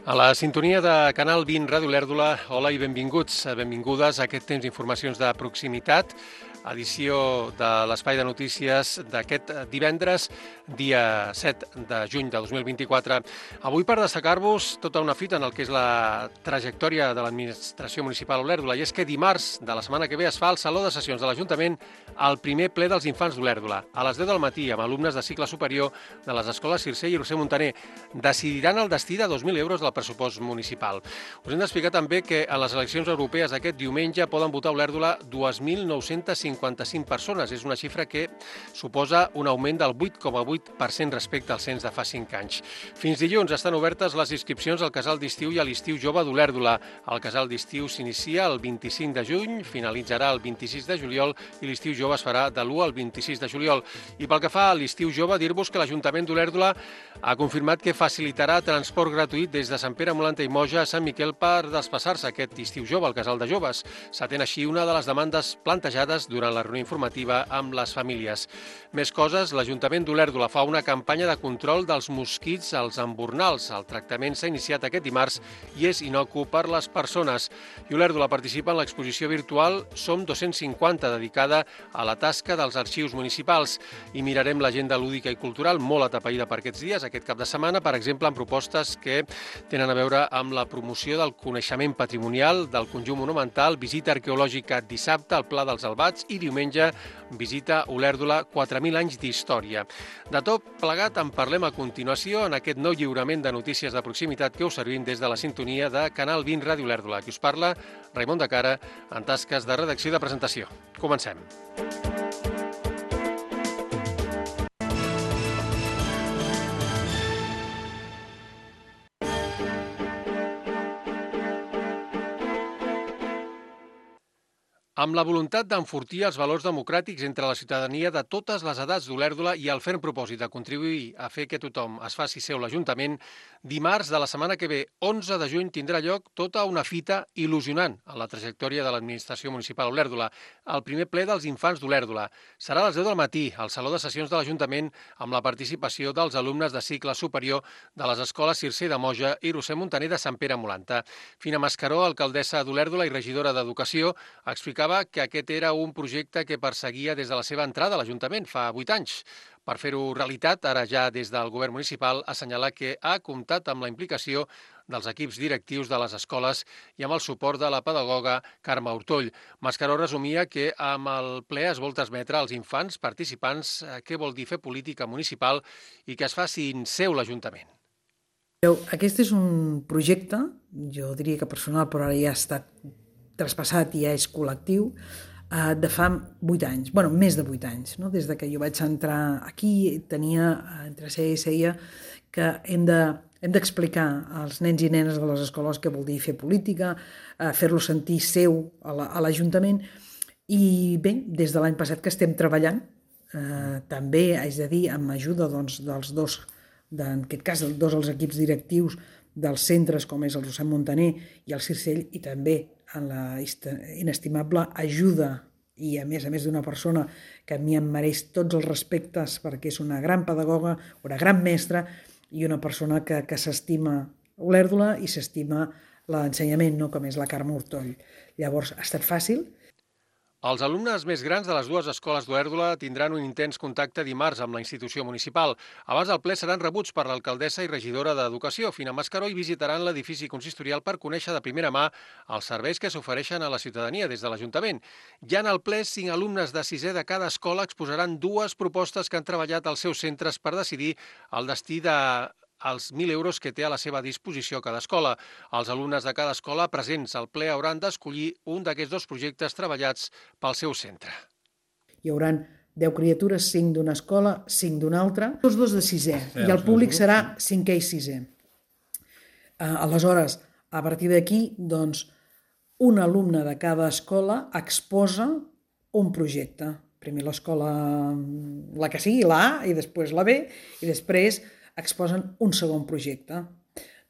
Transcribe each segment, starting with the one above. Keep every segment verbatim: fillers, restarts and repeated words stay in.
A la sintonia de Canal vint Ràdio Olèrdola, hola i benvinguts, benvingudes a aquest temps d'informacions de proximitat, edició de l'Espai de Notícies d'aquest divendres, dia set de juny de dos mil vint-i-quatre. Avui per destacar-vos tota una fita en el que és la trajectòria de l'administració municipal Olèrdola, i és que dimarts de la setmana que ve es fa al Saló de Sessions de l'Ajuntament el primer ple dels infants d'Olèrdola, a les deu del matí, amb alumnes de cicle superior de les escoles Circé i Roser Muntaner. Decidiran el destí de dos mil euros del pressupost municipal. Us hem d'explicar també que a les eleccions europees aquest diumenge poden votar a Olèrdola dos mil nou-cents cinquanta-cinc persones. És una xifra que suposa un augment del vuit coma vuit per cent respecte al cens de fa cinc anys. Fins dilluns estan obertes les inscripcions al casal d'estiu i a l'estiu jove d'Olèrdola. El casal d'estiu s'inicia el vint-i-cinc de juny, finalitzarà el vint-i-sis de juliol i l'estiu jove es farà de l'u al vint-i-sis de juliol. I pel que fa a l'estiu jove, dir-vos que l'Ajuntament d'Olèrdola ha confirmat que facilitarà transport gratuït des de Sant Pere, Molanta i Moja a Sant Miquel per desplaçar-se aquest estiu jove al casal de joves. S'atén així una de les demandes plantejades durant la reunió informativa amb les famílies. Més coses, l'Ajuntament d'Olèrdola fa una campanya de control dels mosquits als embornals. El tractament s'ha iniciat aquest dimarts i és inocu per les persones. I Olèrdola participa en l'exposició virtual Som dos-cents cinquanta, dedicada a la tasca dels arxius municipals. I mirarem l'agenda lúdica i cultural molt atapeïda per aquests dies, aquest cap de setmana, per exemple, amb propostes que tenen a veure amb la promoció del coneixement patrimonial del conjunt monumental, visita arqueològica dissabte al Pla dels Albats i diumenge visita Olèrdola quatre mil anys d'història. De tot plegat en parlem a continuació en aquest nou lliurament de notícies de proximitat que us servim des de la sintonia de Canal vint Ràdio Olèrdola. Qui us parla, Raimon de Cara, en tasques de redacció i de presentació. Comencem. Amb la voluntat d'enfortir els valors democràtics entre la ciutadania de totes les edats d'Olèrdola i el ferm propòsit de contribuir a fer que tothom es faci seu l'Ajuntament, dimarts de la setmana que ve, onze de juny, tindrà lloc tota una fita il·lusionant en la trajectòria de l'administració municipal Olèrdola, el primer ple dels infants d'Olèrdola. Serà a les deu del matí, al Saló de Sessions de l'Ajuntament, amb la participació dels alumnes de cicle superior de les escoles Circé de Moja i Roser Muntaner de Sant Pere, Molanta. Fina Mascaró, alcaldessa d'Olèrdola i regidora d'Educació, explicava que aquest era un projecte que perseguia des de la seva entrada a l'Ajuntament fa vuit anys. Per fer-ho realitat, ara ja des del govern municipal, assenyalar que ha comptat amb la implicació dels equips directius de les escoles i amb el suport de la pedagoga Carme Hortoll. Mascaró resumia que amb el ple es vol transmetre als infants participants què vol dir fer política municipal i que es facin seu l'Ajuntament. Aquest és un projecte, jo diria que personal, però ara ja ha estat traspassat i ja és col·lectiu, de fa vuit anys, bueno, més de vuit anys, no? Des de que jo vaig entrar aquí, tenia, entre seia i seia, que hem de, hem d'explicar als nens i nenes de les escoles què vol dir fer política, fer-los sentir seu a l'Ajuntament, i bé, des de l'any passat que estem treballant, eh, també, haig de dir, amb ajuda doncs, dels dos, de, en aquest cas, dos dels equips directius dels centres, com és el Roser Muntaner i el Circell, i també en la inestimable ajuda i a més a més d'una persona que a mi em mereix tots els respectes perquè és una gran pedagoga, una gran mestra i una persona que, que s'estima Olèrdola i s'estima l'ensenyament, no? Com és la Carme Hortoll. Llavors, ha estat fàcil. Els alumnes més grans de les dues escoles d'Olèrdola tindran un intens contacte dimarts amb la institució municipal. Abans del ple seran rebuts per l'alcaldessa i regidora d'Educació, Fina Mascaró, i visitaran l'edifici consistorial per conèixer de primera mà els serveis que s'ofereixen a la ciutadania des de l'Ajuntament. Ja en el ple, cinc alumnes de sisè de cada escola exposaran dues propostes que han treballat als seus centres per decidir el destí de els mil euros que té a la seva disposició cada escola. Els alumnes de cada escola presents al ple hauran d'escollir un d'aquests dos projectes treballats pel seu centre. Hi haurà deu criatures, cinc d'una escola, cinc d'una altra, tots dos de sisè, i el públic serà cinquè i sisè. Aleshores, a partir d'aquí, doncs, un alumne de cada escola exposa un projecte. Primer l'escola, la que sigui, la A, i després la B, i després exposen un segon projecte.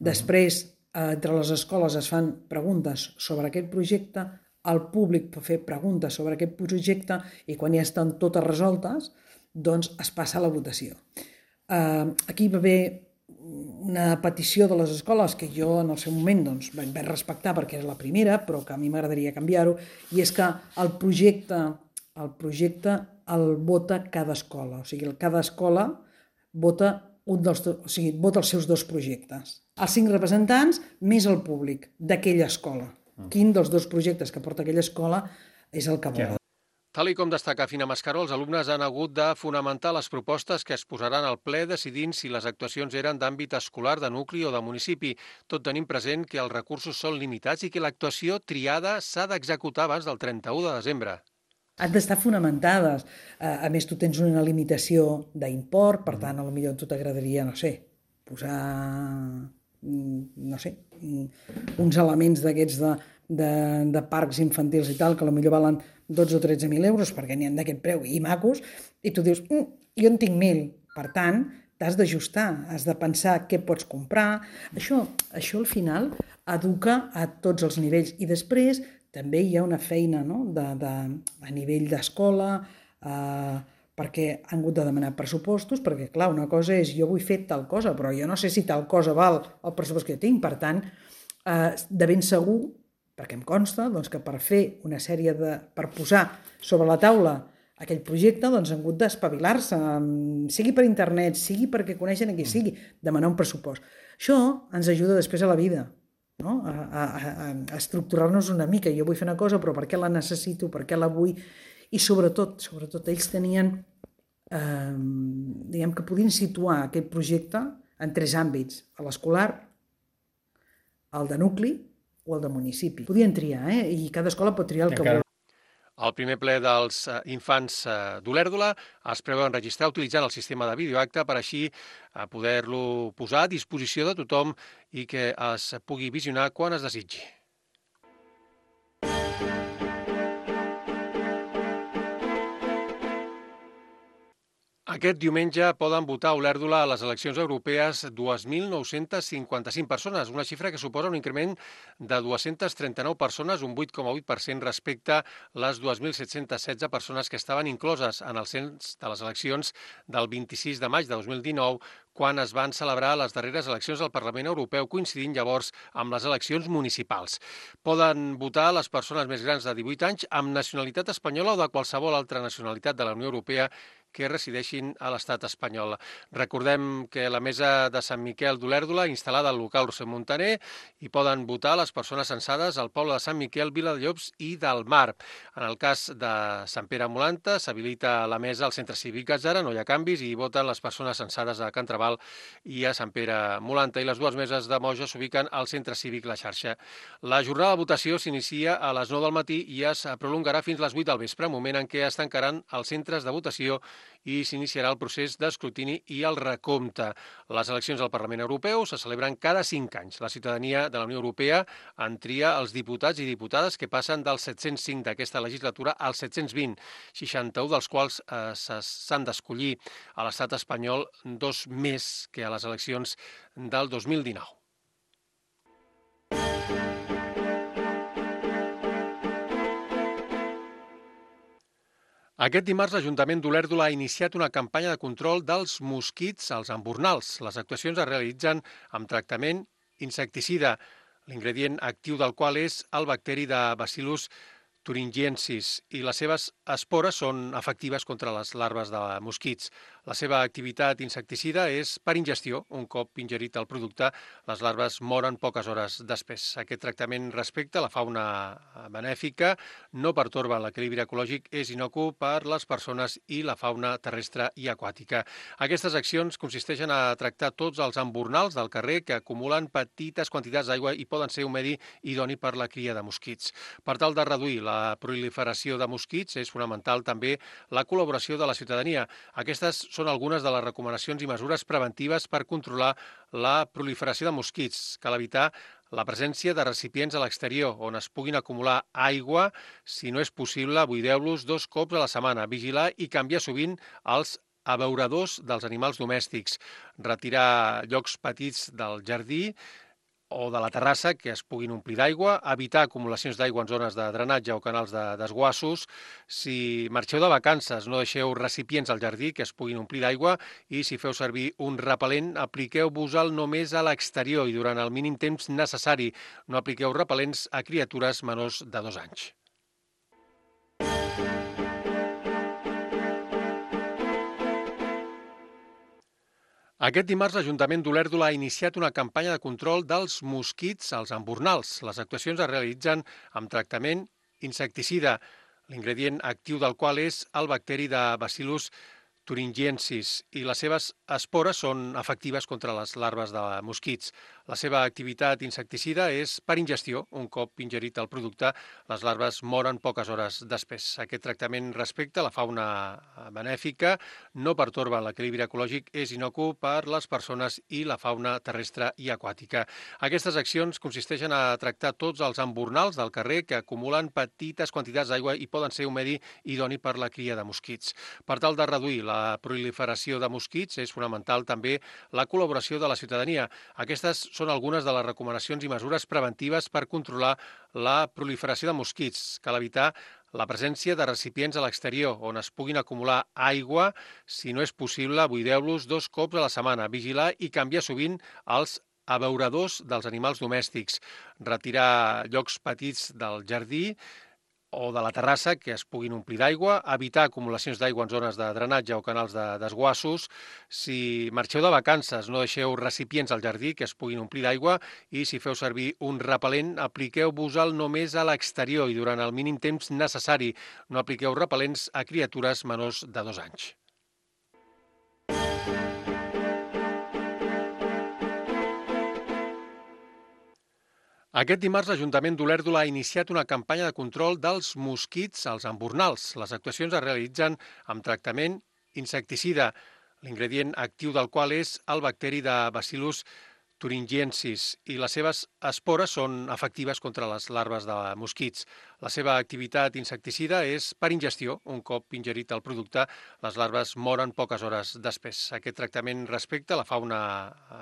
Després, entre les escoles es fan preguntes sobre aquest projecte, el públic pot fer preguntes sobre aquest projecte i quan ja estan totes resoltes, doncs es passa a la votació. Aquí va haver una petició de les escoles que jo en el seu moment doncs, vaig respectar perquè és la primera, però que a mi m'agradaria canviar-ho, i és que el projecte, el projecte el vota cada escola. O sigui, cada escola vota, un dels, o sigui, vota els seus dos projectes. Els cinc representants més el públic d'aquella escola. Quin dels dos projectes que porta aquella escola és el que vol. Tal i com destaca Fina Mascaró, els alumnes han hagut de fonamentar les propostes que es posaran al ple decidint si les actuacions eren d'àmbit escolar, de nucli o de municipi, tot tenint present que els recursos són limitats i que l'actuació triada s'ha d'executar abans del trenta-u de desembre. Han d'estar fonamentades. A més, tu tens una limitació d'import, per tant, potser a tu t'agradaria, no sé, posar, no sé, uns elements d'aquests de, de, de parcs infantils i tal, que potser valen dotze o tretze mil euros, perquè n'hi ha d'aquest preu, i macos, i tu dius, mm, jo en tinc mil. Per tant, t'has d'ajustar, has de pensar què pots comprar. Això, això al final educa a tots els nivells. I després també hi ha una feina, no? de, de, a nivell d'escola, eh, perquè han hagut de demanar pressupostos, perquè clar, una cosa és jo vull fer tal cosa, però jo no sé si tal cosa val el pressupost que jo tinc. Per tant, eh, de ben segur, perquè em consta doncs, que per fer una sèrie de... per posar sobre la taula aquell projecte, doncs han hagut d'espavilar-se, sigui per internet, sigui perquè coneixen a qui sigui, demanar un pressupost. Això ens ajuda després a la vida, no? a, a, a, a estructurar-nos una mica. Jo vull fer una cosa, però per què la necessito, per què la vull? I sobretot, sobretot ells tenien, eh, diguem que podien situar aquest projecte en tres àmbits: l'escolar, el de nucli o el de municipi. Podien triar, eh? I cada escola pot triar el que vol. Al primer ple dels infants d'Olèrdola es preveu enregistrar utilitzant el sistema de videoacte per així poder-lo posar a disposició de tothom i que es pugui visionar quan es desitgi. Aquest diumenge poden votar a Olèrdola a les eleccions europees dos mil nou-cents cinquanta-cinc persones, una xifra que suposa un increment de dues-centes trenta-nou persones, un vuit coma vuit per cent respecte a les dos mil set-cents setze persones que estaven incloses en el cens de les eleccions del vint-i-sis de maig de dos mil dinou, quan es van celebrar les darreres eleccions del Parlament Europeu, coincidint llavors amb les eleccions municipals. Poden votar les persones més grans de divuit anys amb nacionalitat espanyola o de qualsevol altra nacionalitat de la Unió Europea que resideixin a l'estat espanyol. Recordem que la mesa de Sant Miquel d'Olèrdola, instal·lada al local Roser Montaner, hi poden votar les persones censades al poble de Sant Miquel, Viladellobs i del Mar. En el cas de Sant Pere Molanta, s'habilita la mesa al centre cívic Gatzara, no hi ha canvis, i hi voten les persones censades a Can Traval i a Sant Pere Molanta, i les dues meses de Moja s'ubiquen al centre cívic La Xarxa. La jornada de votació s'inicia a les nou del matí i es prolongarà fins a les vuit del vespre, moment en què es tancaran els centres de votació i s'iniciarà el procés d'escrutini i el recompte. Les eleccions al Parlament Europeu se celebren cada cinc anys. La ciutadania de la Unió Europea en tria els diputats i diputades que passen dels set-cents cinc d'aquesta legislatura als set-cents vint, seixanta-un dels quals eh, s'han d'escollir a l'estat espanyol, dos més que a les eleccions del dos mil dinou. Aquest dimarts l'Ajuntament d'Olèrdola ha iniciat una campanya de control dels mosquits als embornals. Les actuacions es realitzen amb tractament insecticida, l'ingredient actiu del qual és el bacteri de Bacillus thuringiensis, i les seves espores són efectives contra les larves de mosquits. La seva activitat insecticida és per ingestió. Un cop ingerit el producte, les larves moren poques hores després. Aquest tractament respecte a la fauna benèfica no pertorba l'equilibri ecològic, és inocu per les persones i la fauna terrestre i aquàtica. Aquestes accions consisteixen a tractar tots els embornals del carrer que acumulen petites quantitats d'aigua i poden ser un medi idoni per la cria de mosquits. Per tal de reduir la proliferació de mosquits, és fonamental també la col·laboració de la ciutadania. Aquestes són algunes de les recomanacions i mesures preventives per controlar la proliferació de mosquits. Cal evitar la presència de recipients a l'exterior on es puguin acumular aigua. Si no és possible, buideu-los dos cops a la setmana. Vigilar i canviar sovint els abeuradors dels animals domèstics. Retirar llocs petits del jardí o de la terrassa que es puguin omplir d'aigua, evitar acumulacions d'aigua en zones de drenatge o canals de desguassos. Si marxeu de vacances, no deixeu recipients al jardí que es puguin omplir d'aigua i si feu servir un repel·lent, apliqueu-vos-el només a l'exterior i durant el mínim temps necessari. No apliqueu repel·lents a criatures menors de dos anys. Aquest dimarts l'Ajuntament d'Olèrdola ha iniciat una campanya de control dels mosquits als embornals. Les actuacions es realitzen amb tractament insecticida, l'ingredient actiu del qual és el bacteri de Bacillus thuringiensis i les seves espores són efectives contra les larves de mosquits. La seva activitat insecticida és per ingestió. Un cop ingerit el producte, les larves moren poques hores després. Aquest tractament respecte a la fauna benèfica, no pertorba l'equilibri ecològic, és inocu per les persones i la fauna terrestre i aquàtica. Aquestes accions consisteixen a tractar tots els embornals del carrer que acumulen petites quantitats d'aigua i poden ser un medi idoni per la cria de mosquits. Per tal de reduir la La proliferació de mosquits és fonamental també la col·laboració de la ciutadania. Aquestes són algunes de les recomanacions i mesures preventives per controlar la proliferació de mosquits. Cal evitar la presència de recipients a l'exterior on es puguin acumular aigua. Si no és possible, buideu-los dos cops a la setmana. Vigilar i canviar sovint els abeuradors dels animals domèstics. Retirar llocs petits del jardí o de la terrassa que es puguin omplir d'aigua, evitar acumulacions d'aigua en zones de drenatge o canals de desguassos. Si marxeu de vacances, no deixeu recipients al jardí que es puguin omplir d'aigua i si feu servir un repel·lent, apliqueu-vos-el només a l'exterior i durant el mínim temps necessari. No apliqueu repel·lents a criatures menors de dos anys. Aquest dimarts l'Ajuntament d'Olèrdola ha iniciat una campanya de control dels mosquits als embornals. Les actuacions es realitzen amb tractament insecticida, l'ingredient actiu del qual és el bacteri de Bacillus thuringiensis i les seves espores són efectives contra les larves de mosquits. La seva activitat insecticida és per ingestió. Un cop ingerit el producte, les larves moren poques hores després. Aquest tractament respecte a la fauna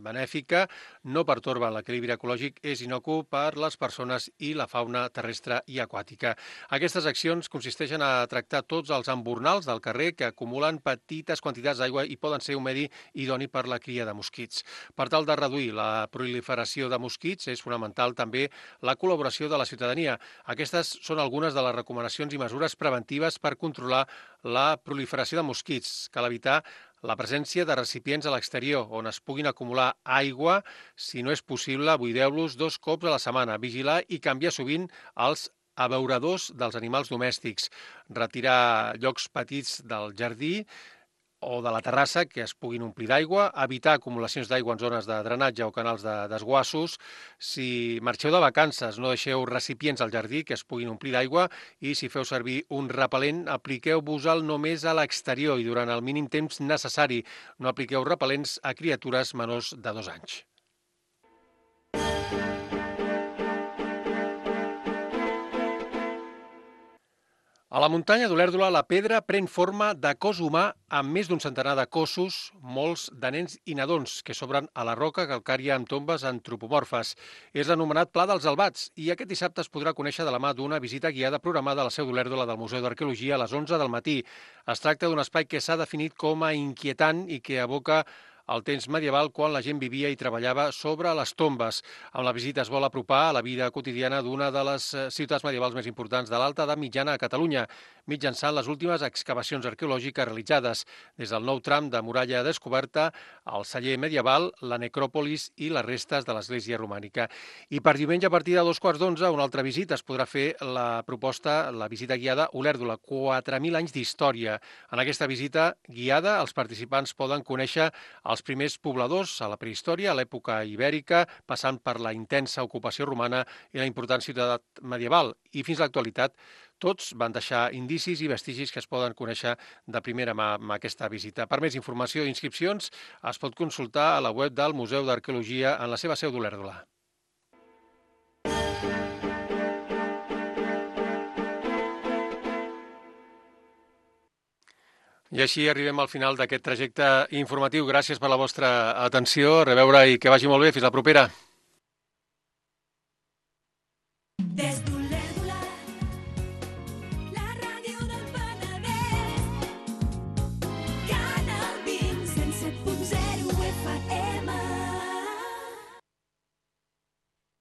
benèfica, no pertorba l'equilibri ecològic, és inocu per les persones i la fauna terrestre i aquàtica. Aquestes accions consisteixen a tractar tots els embornals del carrer que acumulen petites quantitats d'aigua i poden ser un medi idoni per la cria de mosquits. Per tal de reduir la proliferació de mosquits és fonamental també la col·laboració de la ciutadania. Aquestes són algunes de les recomanacions i mesures preventives per controlar la proliferació de mosquits. Cal evitar la presència de recipients a l'exterior on es puguin acumular aigua. Si no és possible, buideu-los dos cops a la setmana. Vigilar i canviar sovint els abeuradors dels animals domèstics. Retirar llocs petits del jardí o de la terrassa que es puguin omplir d'aigua, evitar acumulacions d'aigua en zones de drenatge o canals de desguassos. Si marxeu de vacances, no deixeu recipients al jardí que es puguin omplir d'aigua i si feu servir un repel·lent, apliqueu-vos-el només a l'exterior i durant el mínim temps necessari. No apliqueu repel·lents a criatures menors de dos anys. A la muntanya d'Olèrdola, la pedra pren forma de cos humà amb més d'un centenar de cossos, molts de nens i nadons, que s'obren a la roca calcària amb tombes antropomorfes. És l'anomenat Pla dels Albats i aquest dissabte es podrà conèixer de la mà d'una visita guiada programada a la seu d'Olèrdola del Museu d'Arqueologia a les onze del matí. Es tracta d'un espai que s'ha definit com a inquietant i que evoca al temps medieval quan la gent vivia i treballava sobre les tombes. Amb la visita es vol apropar a la vida quotidiana d'una de les ciutats medievals més importants de l'Alta Edat Mitjana a Catalunya, mitjançant les últimes excavacions arqueològiques realitzades, des del nou tram de muralla descoberta, el celler medieval, la necròpolis i les restes de l'església romànica. I per diumenge a partir de dos quarts d'onze, una altra visita, es podrà fer la proposta, la visita guiada Olèrdola, quatre mil anys d'història. En aquesta visita guiada, els participants poden conèixer els primers pobladors a la prehistòria, a l'època ibèrica, passant per la intensa ocupació romana i la important ciutat medieval. I fins a l'actualitat, tots van deixar indicis i vestigis que es poden conèixer de primera mà amb aquesta visita. Per més informació i inscripcions es pot consultar a la web del Museu d'Arqueologia en la seva seu d'Olèrdola. I així arribem al final d'aquest trajecte informatiu. Gràcies per la vostra atenció. A reveure i que vagi molt bé. Fins la propera. Des